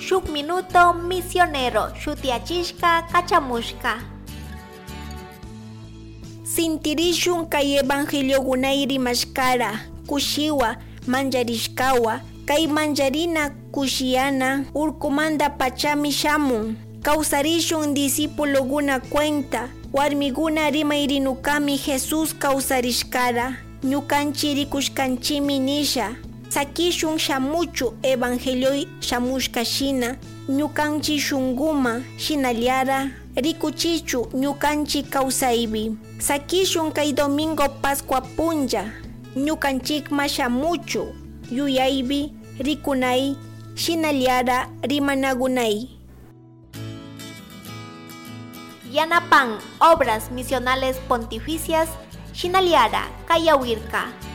Shuk Minuto Misionero shutiachishka kachamushka. Sintirishun kay evangeliogunay rimashkara, kushiwa, mancharishkawa, kay mancharina kushiyana urkumanta pachami shamun. Kawsarishun discipuloguna cuenta, warmiguna rimayrinukami Jesús kawsarishkara, ñukanchi rikushkanchimi nisha. Sakishun shamuchu evangelioi shamushka shina, ñukanchi shunguma shinallara rikuchichu ñukanchi kawsaypi. Sakishun kay domingo Pascua punlla, ñukanchikma shamuchu, yuyaypi rikunay, shinallara rimanagunay. Yanapan Obras Misionales Pontificias, Shinaliara, Kayawirka.